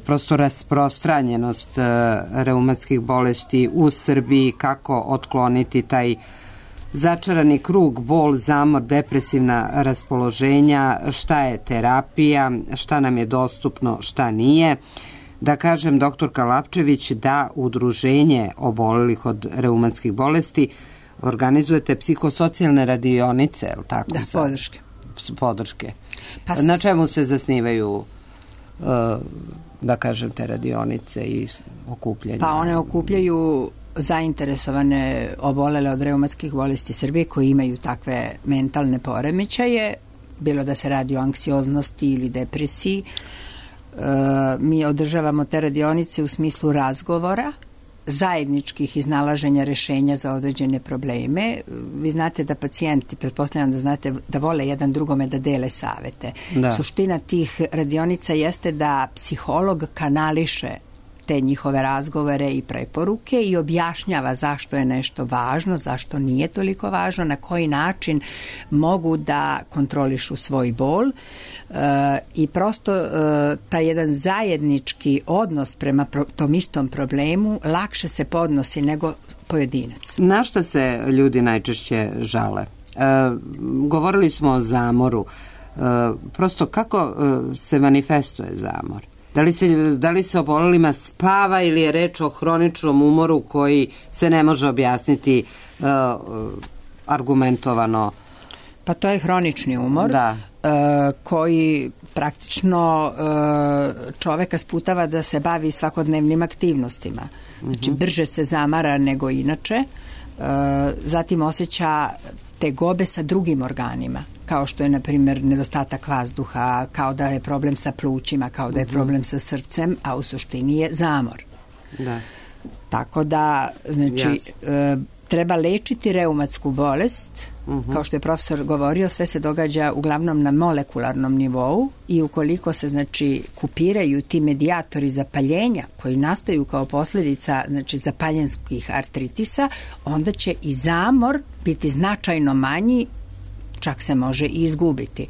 prosto rasprostranjenost e, reumatskih bolesti u Srbiji, kako otkloniti taj začarani krug, bol, zamor, depresivna raspoloženja, šta je terapija, šta nam je dostupno, šta nije. Da kažem, doktorka Lapčević, da Udruženje obolelih od reumatskih bolesti organizujete psihosocijalne radionice, je li tako? Da, podrške. Podrške. Pa s... Na čemu se zasnivaju, da kažem, te radionice i okupljanje? Pa one okupljaju zainteresovane obolele od reumatskih bolesti Srbije koji imaju takve mentalne poremećaje, bilo da se radi o anksioznosti ili depresiji. Mi održavamo te radionice u smislu razgovora, zajedničkih iznalaženja rešenja za određene probleme. Vi znate da pacijenti, pretpostavljam da znate, da vole jedan drugome da dele savete. Da. Suština tih radionica jeste da psiholog kanališe te njihove razgovore i preporuke i objašnjava zašto je nešto važno, zašto nije toliko važno, na koji način mogu da kontrolišu svoj bol e, i prosto e, taj jedan zajednički odnos prema pro, tom istom problemu lakše se podnosi nego pojedinac. Na šta se ljudi najčešće žale? E, govorili smo o zamoru. E, prosto kako e, se manifestuje zamor? Da li se, da li se obolelima spava ili je reč o hroničnom umoru koji se ne može objasniti uh, argumentovano? Pa to je hronični umor da. uh, koji praktično uh, čoveka sputava da se bavi svakodnevnim aktivnostima. Znači, brže se zamara nego inače, uh, zatim osjeća tegobe sa drugim organima, kao što je, na primjer, nedostatak vazduha, kao da je problem sa plućima, kao da je problem sa srcem, a u suštini je zamor. Da. Tako da, znači, e, treba lečiti reumatsku bolest, uh-huh. kao što je profesor govorio, sve se događa uglavnom na molekularnom nivou i ukoliko se, znači, kupiraju ti medijatori zapaljenja koji nastaju kao posljedica, znači, zapaljenskih artritisa, onda će i zamor biti značajno manji, čak se može i izgubiti.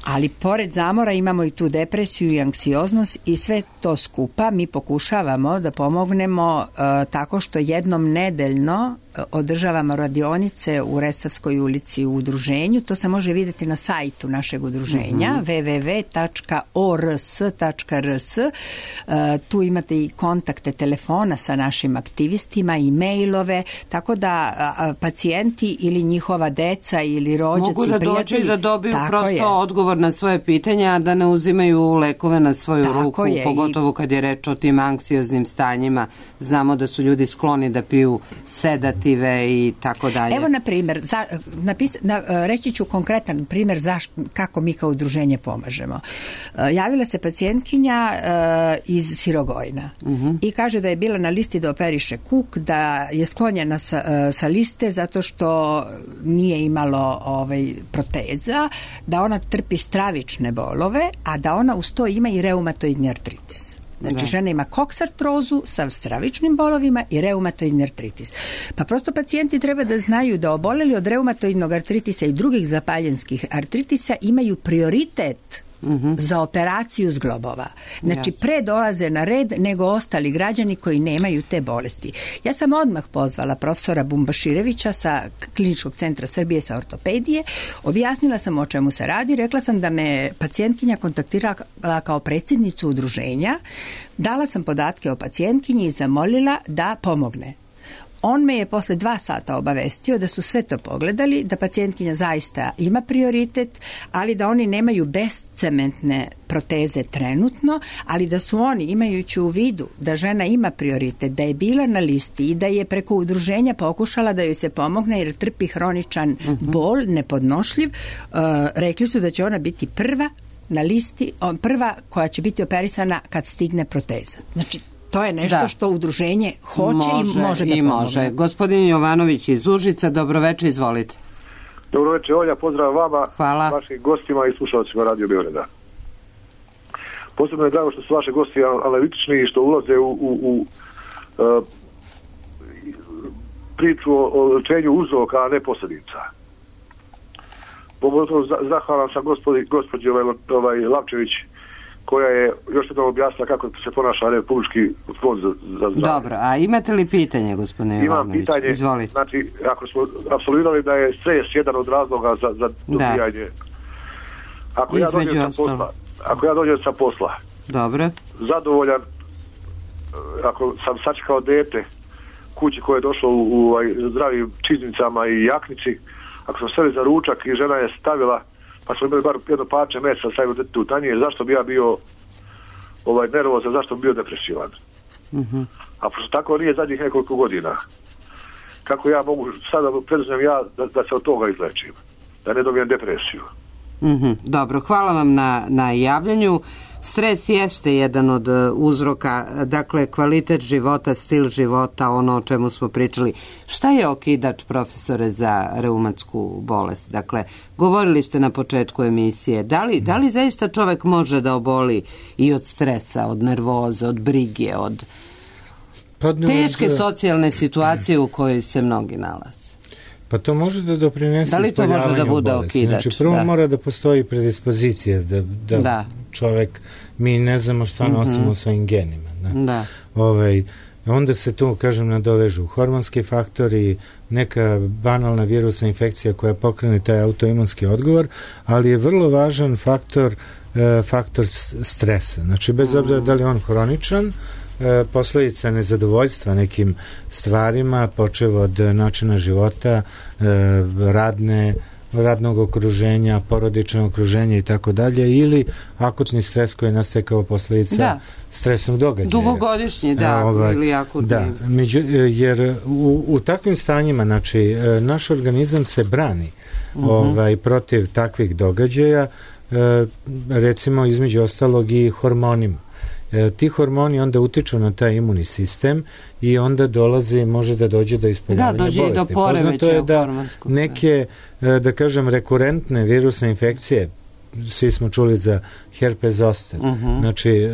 Ali pored zamora imamo i tu depresiju i anksioznost i sve to skupa mi pokušavamo da pomognemo uh, tako što jednom nedeljno uh, održavamo radionice u Resavskoj ulici u udruženju. To se može vidjeti na sajtu našeg udruženja mm-hmm. w w w tačka o r s tačka r s. Uh, tu imate i kontakte telefona sa našim aktivistima i mailove, tako da uh, pacijenti ili njihova deca ili rođaci, mogu da prijatelji, dođu i da dobiju prosto je. odgovor na svoje pitanja, da ne uzimaju lekove na svoju tako ruku, je. pogotovo kad je reč o tim anksioznim stanjima. Znamo da su ljudi skloni da piju sedative i tako dalje. Evo, na primjer, za, napis, na, reći ću konkretan primjer zaš, kako mi kao udruženje pomažemo. Javila se pacijentkinja uh, iz Sirogojna uh-huh. i kaže da je bila na listi da operiše kuk, da je sklonjena sa, uh, sa liste zato što nije imalo ovaj, proteza, da ona trpi stravične bolove, a da ona uz to ima i reumatoidni artritis. Znači, da. Žena ima koksartrozu sa stravičnim bolovima i reumatoidni artritis. Pa prosto pacijenti treba da znaju da oboleli od reumatoidnog artritisa i drugih zapaljenskih artritisa imaju prioritet Mm-hmm. za operaciju zglobova. Znači, yes. pre dolaze na red nego ostali građani koji nemaju te bolesti. Ja sam odmah pozvala profesora Bumbaširevića sa Kliničkog centra Srbije sa ortopedije, objasnila sam o čemu se radi, rekla sam da me pacijentkinja kontaktirala kao predsjednicu udruženja, dala sam podatke o pacijentkinji i zamolila da pomogne. On me je posle dva sata obavestio da su sve to pogledali, da pacijentkinja zaista ima prioritet, ali da oni nemaju bescementne proteze trenutno, ali da su oni, imajući u vidu da žena ima prioritet, da je bila na listi i da je preko udruženja pokušala da joj se pomogne jer trpi hroničan bol, nepodnošljiv, uh, rekli su da će ona biti prva na listi, prva koja će biti operisana kad stigne proteza. Znači, to je nešto da. što udruženje hoće može, i može da i pomogne. Može. Gospodin Jovanović iz Užica, dobroveče, izvolite. Dobroveče, Olja, pozdrav vama, hvala. Vašim gostima i slušalcima Radio Beograda. Posebno je drago što su vaše gosti analitični i što ulaze u, u, u uh, priču o lečenju uzroka, a ne posljedica. Pogotovo zahvalan sam gospodi, gospođi ovaj, ovaj Lapčević, koja je još jednom objasnila kako se ponaša Republički fond za, za zdravlje. Dobro, a imate li pitanje, gospodine Jovanović? Imam pitanje, izvolite. Znači, ako smo apsolvirali da je stres jedan od razloga za, za dobijanje. Ako ja, dođem sa posla, ako ja dođem sa posla, dobro, zadovoljan, ako sam sačekao dete kući koje je došlo u, u, u zdravim čiznicama i jaknici, ako sam seli za ručak i žena je stavila, pa smo imali bar jedno parče mesa stavili dete u tanjir, zašto bi ja bio ovaj, nervozan, zašto bi bio depresivan? Uh-huh. A pošto tako nije zadnjih nekoliko godina, kako ja mogu sada preduzmem ja da, da se od toga izlečim, da ne dobijem depresiju? Mm-hmm. Dobro, hvala vam na, na javljanju. Stres jeste jedan od uzroka, dakle kvalitet života, stil života, ono o čemu smo pričali. Šta je okidač, profesore, za reumatsku bolest? Dakle, govorili ste na početku emisije, da li, da li zaista čovek može da oboli i od stresa, od nervoze, od brige, od teške socijalne situacije u kojoj se mnogi nalaze? Pa to može da doprinese ispoljavanju bolesti. Da okidač, znači, prvo da. mora da postoji predispozicija, da, da, da čovek, mi ne znamo šta nosimo mm-hmm. u svojim genima. Da. Da. Ovaj, onda se tu, kažem, nadovežu hormonski faktori, neka banalna virusna infekcija koja pokrene taj autoimunski odgovor, ali je vrlo važan faktor, faktor stresa. Znači, bez obzira da li on hroničan, posledica nezadovoljstva nekim stvarima, počev od načina života, radne, radnog okruženja, porodičnog okruženja i tako dalje, ili akutni stres koji nastaje kao posledica da. stresnog događaja. Dugogodišnji, da, ovaj, ili akutni. Da, među, jer u, u takvim stanjima, znači, naš organizam se brani uh-huh. ovaj, protiv takvih događaja, recimo, između ostalog i hormonima. Ti hormoni onda utiču na taj imunni sistem i onda dolazi, može da dođe do ispoljavanja bolesti. Da, dođe i do poremećaja hormonskog. Neke, da kažem, rekurentne virusne infekcije, svi smo čuli za herpes zoster. Uh-huh. Znači,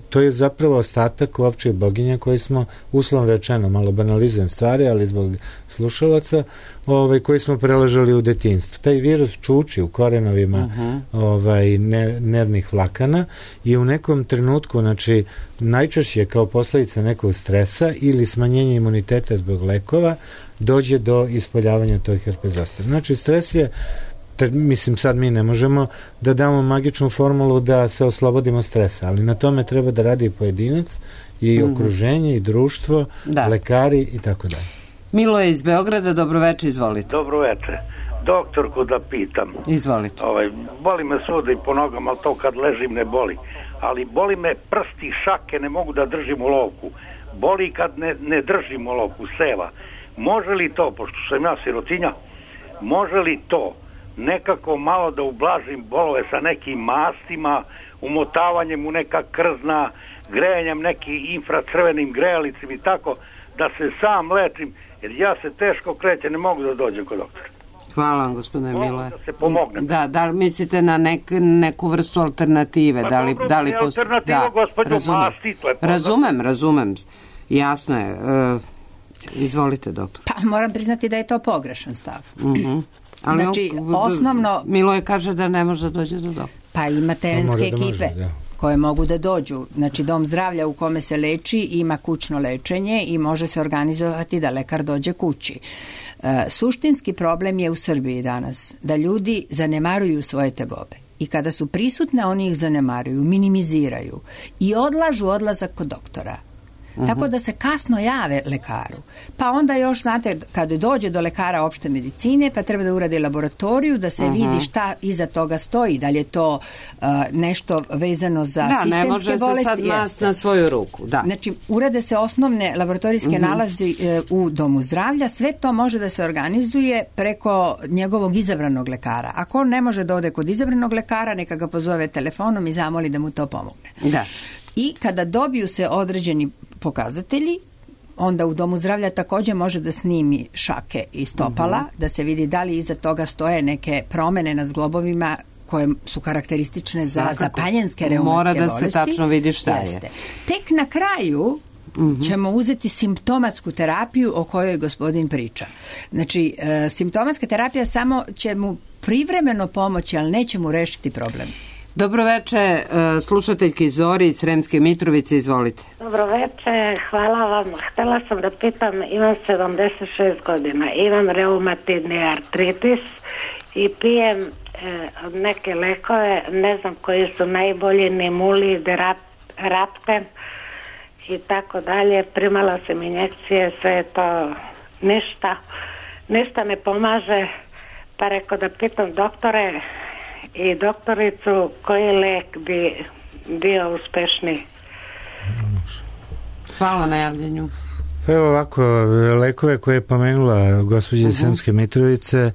to je zapravo ostatak ovčih boginja koji smo, uslovno rečeno, malo banalizujem stvari, ali zbog slušalaca, ovaj, koji smo preležali u detinjstvu. Taj virus čuči u korenovima uh-huh. ovaj, ne, nervnih vlakana i u nekom trenutku, znači, najčešće kao posledica nekog stresa ili smanjenja imuniteta zbog lekova, dođe do ispoljavanja tog herpes zoster. Znači, stres je, mislim, sad mi ne možemo da damo magičnu formulu da se oslobodimo stresa, ali na tome treba da radi pojedinac i mm-hmm. okruženje i društvo, da. lekari i tako dalje. Milo je iz Beograda, dobroveče, izvolite. Dobroveče. Doktorku da pitam. Izvolite. Ovaj, boli me svuda i po nogama, ali to kad ležim ne boli. Ali boli me prsti, šake, ne mogu da držim u lovku. Boli kad ne, ne držim u lovku, seva. Može li to, pošto sam ja sirotinja, može li to nekako malo da ublažim bolove sa nekim mastima, umotavanjem u neka krzna, grejanjem nekim infracrvenim grejalicim i tako, da se sam lečim, jer ja se teško krećem, ne mogu da dođem kod doktora. Hvala vam, gospodine Mile. Da se pomogne. Da, da li mislite na nek, neku vrstu alternative? Pa da li, dobro, da li pos... alternativa, da, gospođo, razumem. masti, to je poznat. Razumem, razumem. Jasno je. Uh, izvolite, doktor. Pa moram priznati da je to pogrešan stav. Mhm. Ali znači, on, osnovno... Milo je kaže da ne može da dođe do doktora. Pa ima terenske da ekipe može, da. koje mogu da dođu. Znači, dom zdravlja u kome se leči ima kućno lečenje i može se organizovati da lekar dođe kući. E, suštinski problem je u Srbiji danas da ljudi zanemaruju svoje tegobe. I kada su prisutne, oni ih zanemaruju, minimiziraju i odlažu odlazak kod doktora. Uh-huh. Tako da se kasno jave lekaru. Pa onda još, znate, kada dođe do lekara opšte medicine, pa treba da uradi laboratoriju, da se uh-huh. vidi šta iza toga stoji, da li je to uh, nešto vezano za da, sistemske bolesti. Da, ne može se sad mast na svoju ruku. Da. Znači, urade se osnovne laboratorijske uh-huh. nalazi uh, u domu zdravlja, sve to može da se organizuje preko njegovog izabranog lekara. Ako on ne može da ode kod izabranog lekara, neka ga pozove telefonom i zamoli da mu to pomogne. Da. I kada dobiju se određeni pokazatelji, onda u domu zdravlja također može da snimi šake i stopala, uh-huh. da se vidi da li iza toga stoje neke promene na zglobovima koje su karakteristične za zapaljenske reumatske bolesti. Mora da bolesti. se tačno vidi šta Jeste. je. Tek na kraju uh-huh. ćemo uzeti simptomatsku terapiju o kojoj gospodin priča. Znači, e, simptomatska terapija samo će mu privremeno pomoći, ali neće mu rešiti problem. Dobroveče, slušateljki Zori iz Sremske Mitrovice, izvolite. Dobroveče, hvala vam. Htela sam da pitam, imam sedamdeset šest godina, imam reumatidni artritis i pijem e, neke lekove, ne znam koji su najbolji, Nimulid, Rapten i tako dalje. Primala sam injekcije, sve je to ništa, ništa ne pomaže, pa rekao da pitam doktore i doktoricu koji lek bi bio uspešniji. Hvala na javljenju. Pa evo ovako, lekove koje je pomenula gospođa uh-huh. Sremske Mitrovice,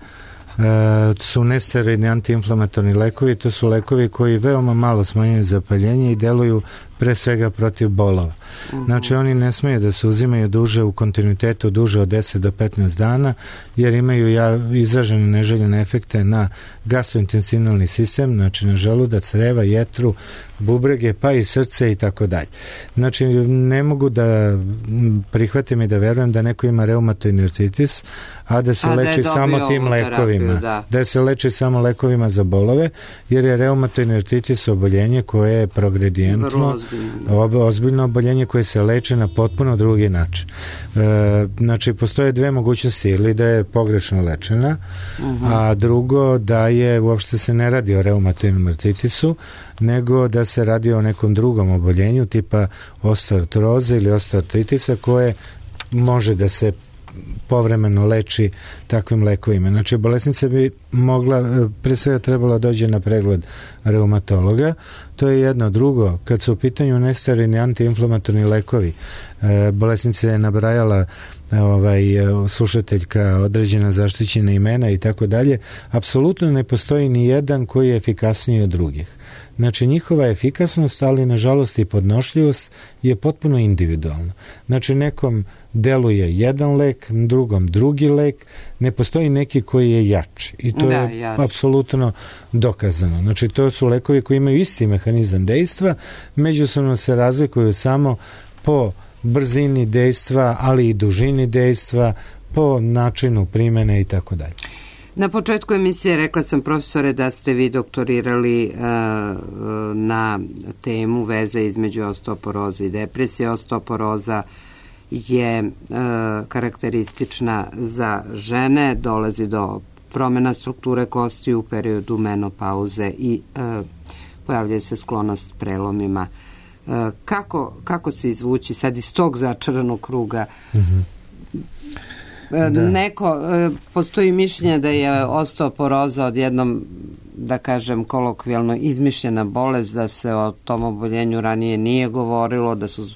su nesteroidni antiinflamatorni lekovi, to su lekovi koji veoma malo smanjuju zapaljenje i deluju pre svega protiv bolova. Znači oni ne smeju da se uzimaju duže u kontinuitetu, duže od deset do petnaest dana, jer imaju ja, izražene neželjene efekte na gastrointestinalni sistem, znači na želudac, creva, jetru, bubrege, pa i srce i tako dalje. Znači ne mogu da prihvatim i da verujem da neko ima reumatoidni artritis, a da se a leči da samo tim lekovima. Da. da se leči samo lekovima za bolove, jer je reumatoidni artritis oboljenje koje je progredijentno, ozbiljno. ozbiljno oboljenje koje se leče na potpuno drugi način. E, znači, postoje dve mogućnosti, ili da je pogrešno lečena, uh-huh. a drugo da je, uopšte se ne radi o reumatoidnom artritisu, nego da se radi o nekom drugom oboljenju tipa osteoartroze ili osteoartritisa koje može da se povremeno leči takvim lekovima. Znači, bolesnica bi mogla, pre svega trebala dođe na pregled reumatologa, to je jedno. Drugo, kad su u pitanju nesteroidni antiinflamatorni lekovi, bolesnica je nabrajala ovaj, slušateljka određena zaštićena imena i tako dalje, apsolutno ne postoji ni jedan koji je efikasniji od drugih. Znači, njihova efikasnost, ali nažalost i podnošljivost je potpuno individualna. Znači, nekom deluje jedan lek, drugom drugi lek, ne postoji neki koji je jači. I to da, je jasno. Apsolutno dokazano. Znači, to su lekovi koji imaju isti mehanizam dejstva, međusobno se razlikuju samo po brzini dejstva, ali i dužini dejstva, po načinu primene i tako dalje. Na početku emisije rekla sam, profesore, da ste vi doktorirali uh, na temu veze između osteoporoze i depresije. Osteoporoza je uh, karakteristična za žene, dolazi do promjena strukture kosti u periodu menopauze i uh, pojavljuje se sklonost prelomima. Uh, kako, kako se izvući sad iz tog začaranog kruga? Mm-hmm. Da. Neko, postoji mišljenje da je osteoporoza odjednom, da kažem kolokvijalno, izmišljena bolest, da se o tom oboljenju ranije nije govorilo, da su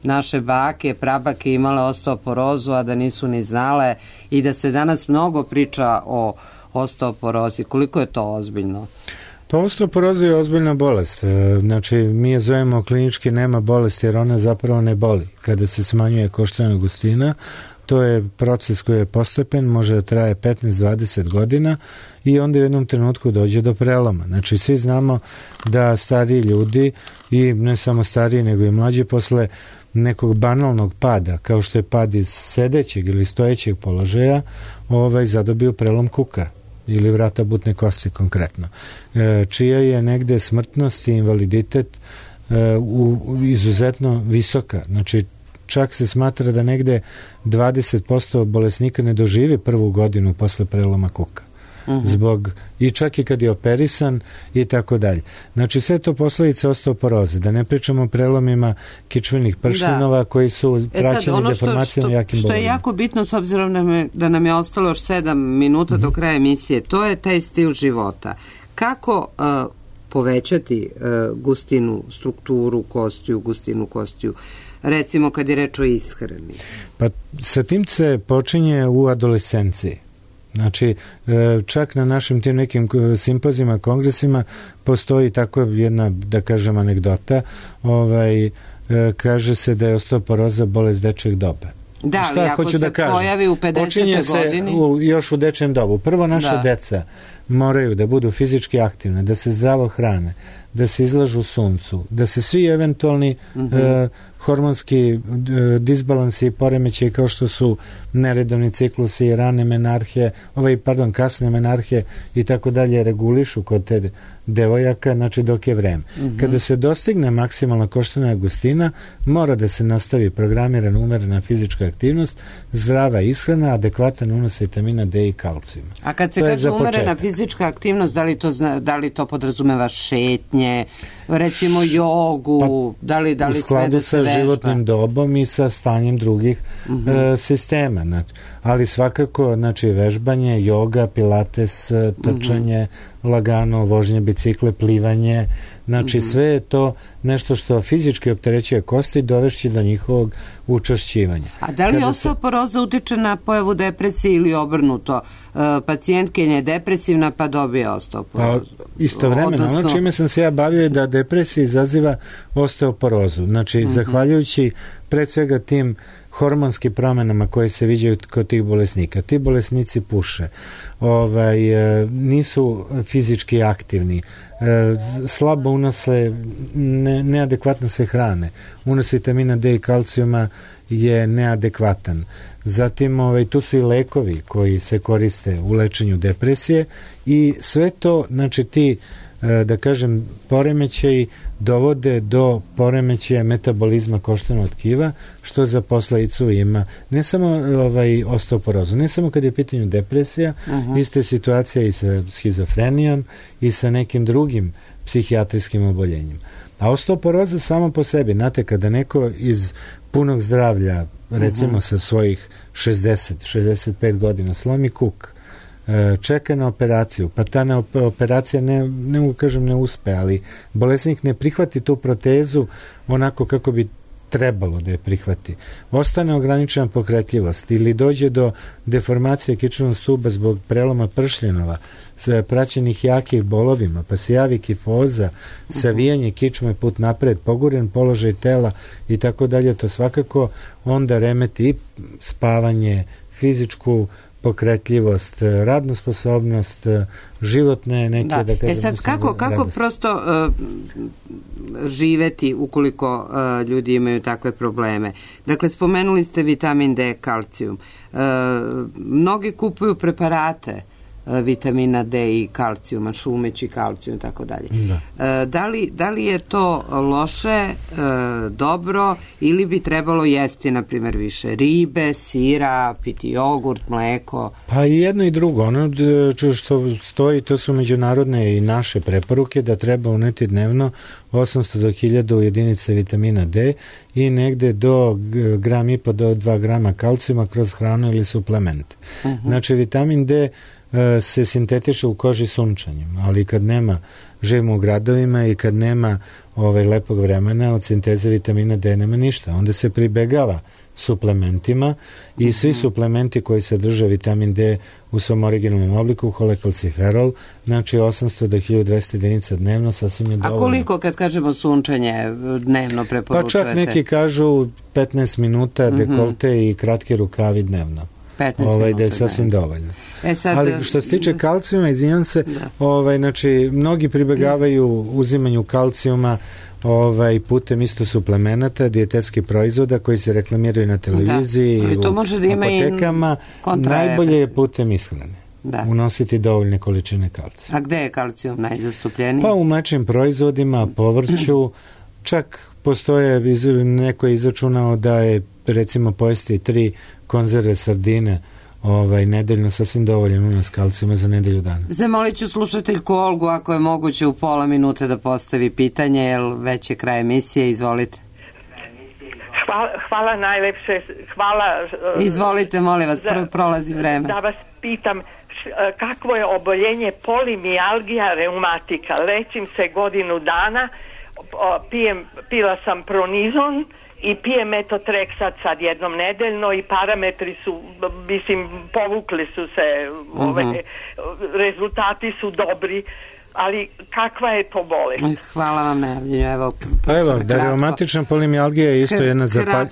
naše bake, prabake imale osteoporozu, a da nisu ni znale, i da se danas mnogo priča o osteoporozi. Koliko je to ozbiljno? Pa osteoporoza je ozbiljna bolest. Znači, mi je zovemo klinički nema bolesti, jer ona zapravo ne boli. Kada se smanjuje koštana gustina, to je proces koji je postepen, može da traje petnaest do dvadeset godina i onda u jednom trenutku dođe do preloma. Znači, svi znamo da stariji ljudi, i ne samo stariji nego i mlađi, posle nekog banalnog pada, kao što je pad iz sedećeg ili stojećeg položaja, ovaj, zadobiju prelom kuka ili vrata butne kosti konkretno, e, čija je negde smrtnost i invaliditet e, u, u izuzetno visoka. Znači, čak se smatra da negde dvadeset posto bolesnika ne doživi prvu godinu posle preloma kuka. Uh-huh. Zbog, i čak i kad je operisan i tako dalje. Znači, sve to posledice osteoporoze. Da ne pričamo o prelomima kičmenih prštinova da. koji su praćeni e deformacijama jakim bolovima. Što je jako bitno, s obzirom da, me, da nam je ostalo još sedam minuta uh-huh. do kraja emisije, to je taj stil života. Kako uh, povećati uh, gustinu, strukturu kostiju, gustinu kostiju, recimo kad je reč o ishrani? Pa sa tim se počinje u adolescenciji. Znači, čak na našim tim nekim simpozima, kongresima postoji tako jedna, da kažem, anegdota, ovaj, kaže se da je osteoporoza bolest dečeg doba. Da, ali ako se da pojavi u pedesetoj godini? Počinje se u, još u dečjem dobu. Prvo, naša da. deca moraju da budu fizički aktivne, da se zdravo hrane, da se izlažu suncu, da se svi eventualni uh-huh. e, hormonski e, disbalansi i poremećaji kao što su neredovni ciklusi, rane menarhije, ovaj, pardon, kasne menarhije i tako dalje regulišu kod te devojaka, znači dok je vreme. Uh-huh. Kada se dostigne maksimalna koštana gustina, mora da se nastavi programirana umerena fizička aktivnost, zdrava ishrana, adekvatan unos vitamina D i kalcijuma. A kad se to kaže umerena fizička aktivnost, da li to, zna, da li to podrazumeva šetnje, recimo jogu, pa, da li, da li u skladu sve da se sa životnim dobom i sa stanjem drugih uh-huh. e, sistema. Znači, ali svakako, znači, vežbanje, joga, pilates, trčanje, uh-huh. lagano, vožnje bicikle, plivanje, znači uh-huh. sve je to nešto što fizički opterećuje kosti i dovešće do njihovog učvršćivanja. A da li Kada osteoporoza se... utiče na pojavu depresije ili obrnuto? E, pacijentkinja je depresivna pa dobije osteoporozu. Pa, istovremeno, Odnosno... ono čime sam se ja bavio je da depresija izaziva osteoporozu. Znači, uh-huh. zahvaljujući pre svega tim hormonskim promenama koje se viđaju kod tih bolesnika. Ti bolesnici puše, ovaj, nisu fizički aktivni, slabo unose, ne, neadekvatno se hrane. Unos vitamina D i kalcijuma je neadekvatan. Zatim, ovaj, tu su i lekovi koji se koriste u lečenju depresije i sve to, znači ti, da kažem, poremećaji dovode do poremećaja metabolizma koštanog tkiva, što za posledicu ima ne samo ovaj, osteoporozu, ne samo kad je u pitanju depresija, uh-huh. ista situacija i sa schizofrenijom i sa nekim drugim psihijatrijskim oboljenjima. A osteoporoza samo po sebi, znate, kada neko iz punog zdravlja, recimo uh-huh. sa svojih šezdeset šezdeset pet godina, slomi kuk, čeka na operaciju, pa ta ne, operacija ne, ne mogu kažem ne uspe, ali bolesnik ne prihvati tu protezu onako kako bi trebalo da je prihvati. Ostane ograničena pokretljivost ili dođe do deformacije kičmenog stuba zbog preloma pršljenova, praćenih jakih bolovima, pa se javi kifoza, savijanje kičme put napred, poguren položaj tela i tako dalje, to svakako onda remeti i spavanje, fizičku pokretljivost, radnu sposobnost, životne neke, da, da kažem... E sad, kako, kako prosto uh, živeti ukoliko uh, ljudi imaju takve probleme? Dakle, spomenuli ste vitamin D, kalcijum. Uh, mnogi kupuju preparate vitamina D i kalcijuma, šumeći kalcijum i tako dalje. Da li, da li je to loše, e, dobro, ili bi trebalo jesti, na primjer, više ribe, sira, piti jogurt, mleko? Pa i jedno i drugo. Ono što stoji, to su međunarodne i naše preporuke da treba uneti dnevno osamsto do hiljadu jedinica vitamina D i negde do gram i po do dva grama kalcijuma kroz hranu ili suplemente. Uh-huh. Znači, vitamin D se sintetiše u koži sunčanjem, ali kad nema, živimo u gradovima i kad nema ovaj, lepog vremena, od sinteze vitamina D nema ništa. Onda se pribegava suplementima i uh-huh. svi suplementi koji sadrže vitamin D u svom originalnom obliku, holekalciferol, znači osamsto do hiljadu dvesta jedinica dnevno, sasvim je dovoljno. A koliko, kad kažemo sunčanje, dnevno preporučujete? Pa čak neki kažu petnaest minuta dekolte uh-huh. i kratki rukavi dnevno. Ovaj, da je sasvim ne. dovoljno. E sad, ali što se tiče kalcijuma, izvinjam se, ovaj, znači, mnogi pribegavaju uzimanju kalcijuma ovaj, putem isto suplemenata, dijetetskih proizvoda koji se reklamiraju na televiziji da. i u može da ima apotekama. Najbolje je putem ishrane. Da. Unositi dovoljne količine kalcija. A gde je kalcijum najzastupljeniji? Pa u mlečnim proizvodima, povrću, čak postoje, neko je izračunao da je recimo pojesti tri konzerve sardine ovaj, nedeljno sasvim dovoljno unos kalcijuma za nedelju dana. Zamolit ću slušateljku Olgu ako je moguće u pola minute da postavi pitanje, jer već je kraj emisije, izvolite. Hvala, hvala najlepše, hvala... Izvolite, molim vas, za, prolazi vreme. Da vas pitam, kakvo je oboljenje polimijalgija reumatika? Lečim se godinu dana, pijem, pila sam pronizon i pijem metotreksat sad jednom nedeljno i parametri su, mislim, povukli su se, uh-huh. ove, rezultati su dobri, ali kakva je to bolest? Hvala vam, Nevljenju, evo. Pa evo, da reumatična polimijalgija je isto jedna zapalj...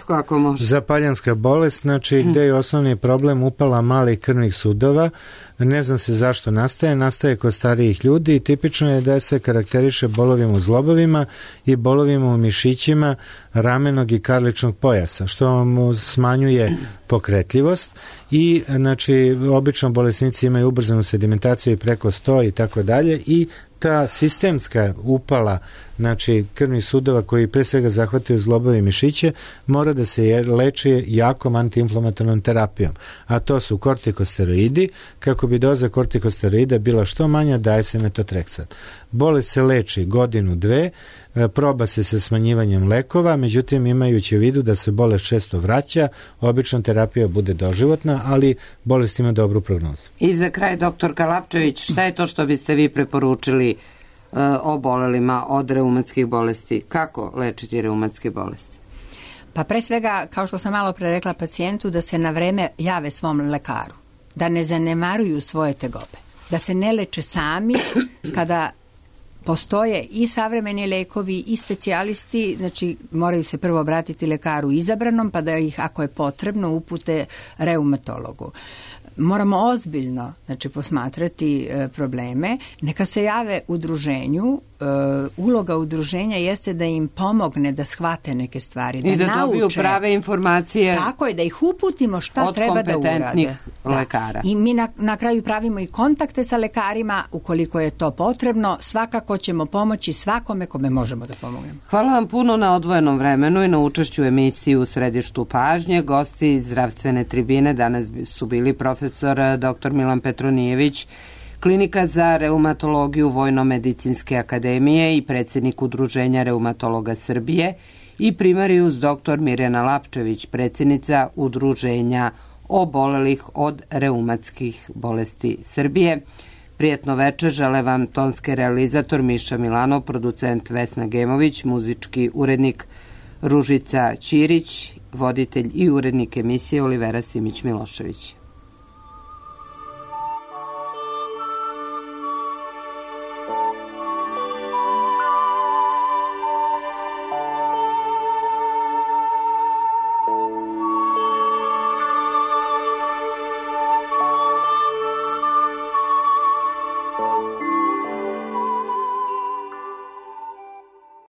zapaljanska bolest, znači gde je osnovni problem upala malih krvnih sudova, ne znam se zašto nastaje, nastaje kod starijih ljudi i tipično je da se karakteriše bolovima u zglobovima i bolovima u mišićima ramenog i karličnog pojasa, što mu smanjuje pokretljivost i znači obično bolesnici imaju ubrzanu sedimentaciju i preko sto i tako dalje i ta sistemska upala, znači krvnih sudova koji pre svega zahvataju zglobove i mišiće, mora da se leči jakom antiinflamatornom terapijom, a to su kortikosteroidi. Kako bi doza kortikosteroida bila što manja, daje se metotreksat. Bolest se leči godinu, dve, proba se sa smanjivanjem lekova, međutim imajući u vidu da se bolest često vraća, obično terapija bude doživotna, ali bolest ima dobru prognozu. I za kraj, doktor Kalapčević, šta je to što biste vi preporučili uh, obolelima od reumatskih bolesti? Kako lečiti reumatske bolesti? Pa pre svega, kao što sam malo pre rekla pacijentu, da se na vreme jave svom lekaru, da ne zanemaruju svoje tegobe, da se ne leče sami kada postoje i savremeni lekovi i specijalisti, znači moraju se prvo obratiti lekaru izabranom, pa da ih, ako je potrebno, upute reumatologu. Moramo ozbiljno, znači, posmatrati e, probleme. Neka se jave udruženju. E, uloga udruženja jeste da im pomogne da shvate neke stvari, da, i da nauče, dobiju prave informacije. Tako je, da ih uputimo šta treba da urade. Od kompetentnih lekara. I mi na, na kraju pravimo i kontakte sa lekarima, ukoliko je to potrebno. Svakako ćemo pomoći svakome kome možemo da pomognemo. Hvala vam puno na odvojenom vremenu i na učešću u emisiji U središtu pažnje. Gosti iz zdravstvene tribine danas su bili profesor doktor Milan Petronijević, Klinika za reumatologiju Vojno-medicinske akademije i predsjednik Udruženja reumatologa Srbije, i primarijus doktor Mirjana Lapčević, predsjednica Udruženja obolelih od reumatskih bolesti Srbije. Prijetno večer žele vam tonski realizator Miša Milanov, producent Vesna Gemović, muzički urednik Ružica Ćirić, voditelj i urednik emisije Olivera Simić-Milošević.